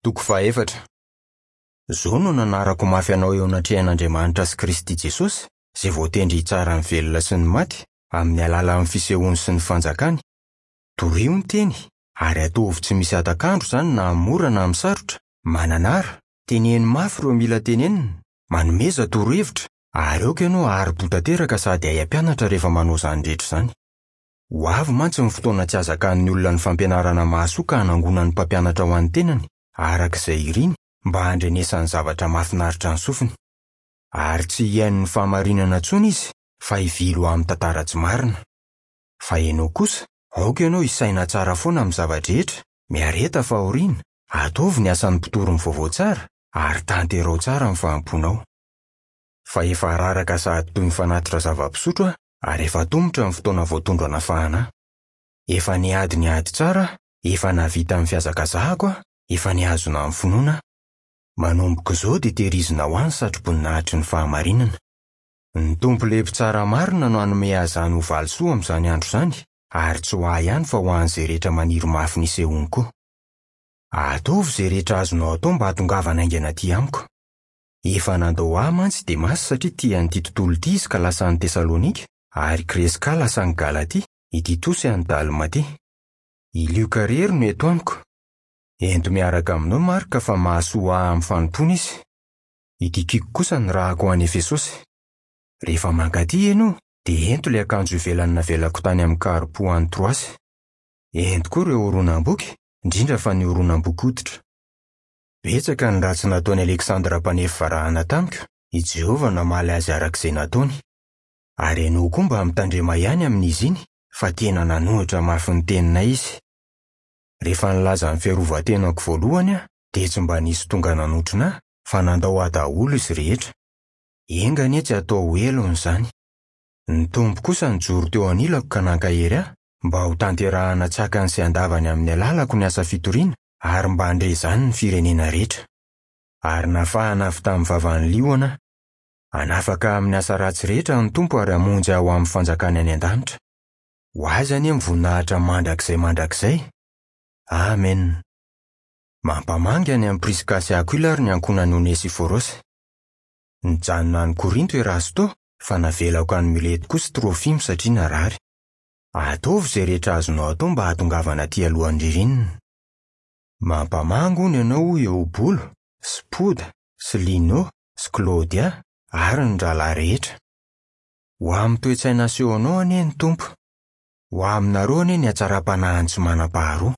Toko fahaefatra. Izao no nanarako mafy anao eo anatrehan'Andriamanitra sy Kristy Jesosy, izay voatendry hitsara ny velona sy ny maty, amin'ny alalan'ny fisehoany sy ny fanjakany. Torio ny teny, ary ataovy tsy misy hatak'andro izany na amin'ny mora na amin'ny sarotra, mananara, teneno mafy ireo mila tenenina, manomeza torohevitra, ary aoka ianao hahari-po tanteraka sady hahay hampianatra rehefa manao izany rehetra izany. Ho avy mantsy ny fotoana tsy hazakan'ny olona ny fampianarana mahasoa ka hanangonany mpampianatra ho an'ny tenany, araka izay iriny, mba handrenesany zavatra mahafinaritra ny sofiny. Ary tsy hihaino ny fahamarinana intsony izy, fa hivily ho amin'ny tantara tsy marina. Fa ianao kosa, aoka ianao hisaina tsara foana amin'ny zava-drehetra, miareta fahoriana, ataovy ny asan'ny mpitory ny vaovao tsara, ary tanteraho tsara ny fahampoanao. Fa efa raraka sahady toy ny fanatitra zava-pisotro aho, ary efa atomotra ny fotoana voatondro hanafahana ahy. Efa niady ny ady tsara aho, efa nahavita ny fihazakazahako aho, efa nihazona ny finoana aho. Manomboka izao dia tehirizina ho ahy ny satroboninahitry ny fahamarinana. Ny Tompo ilay Mpitsara marina no hanome ahy izany ho valisoa amin'izany andro izany, ary tsy ho ahy ihany fa ho an'izay rehetra maniry mafy ny hisehoany koa. Ataovy izay rehetra azonao atao mba hahatongavana haingana aty amiko. Efa nandao ahy mantsy i Demasy satria tia an'ity tontolo ity izy ka lasa any Tesalonika, ary Kreska lasa any Galatia, i Titosy any Dalmatia. I Lioka irery no eto amiko. Ento miaraka aminao Marka fa mahasoa ahy amin'ny fanompoana izy. I Tykiko kosa nirahako ho any Efesosy. Rehefa mankaty ianao, dia ento ilay akanjo ivelany navelako tany amin'i Karpo any Troasy. Ento koa ireo horonam-boky, indrindra fa ny horonam-boky hoditra. Betsaka ny ratsy nataon'i Aleksandra mpanefy varahana tamiko, i Jehovah namaly azy araka izay nataony. Ary ianao koa mba mitandrema ihany amin'izy iny, fa tena nanohitra mafy ny teninay izy. Rehefa nilaza ny fiarovan-tenako voalohany aho, dia tsy mba nisy tonga nanotrona ahy, fa nandao ahy daholo izy rehetra. Enga anie tsy hatao ho helony izany. Ny Tompo kosa nijoro teo anilako ka nankahery ahy, mba hotanterahana an-tsakany sy an-davany amin'ny alalako ny asa fitoriana, ary mba handre izany ny firenena rehetra. Ary nafahana avy tamin'ny vavan'ny liona aho. Hanafaka ahy amin'ny asa ratsy rehetra ny Tompo ary hamonjy ahy ho amin'ny fanjakany any an-danitra. Ho Azy anie ny voninahitra mandrakizay mandrakizay. Amena. Mampamangy any amin'i Priska sy Akoila ary ny ankohonan'i Onesiforosy. Nijanona any Korinto i Erasto, fa navelako any Mileto kosa i Trofimo satria narary. Ataovy izay rehetra azonao atao mba hahatongavana aty alohan'ny ririnina. Mampamangy hono ianao hoy Eobolo, sy Poda, sy Lino, sy Klaodia, ary ny rahalahy rehetra. Ho amin'ny toe-tsaina asehonao anie ny Tompo. Ho aminareo anie ny hatsaram-panahiny tsy manam-paharoa.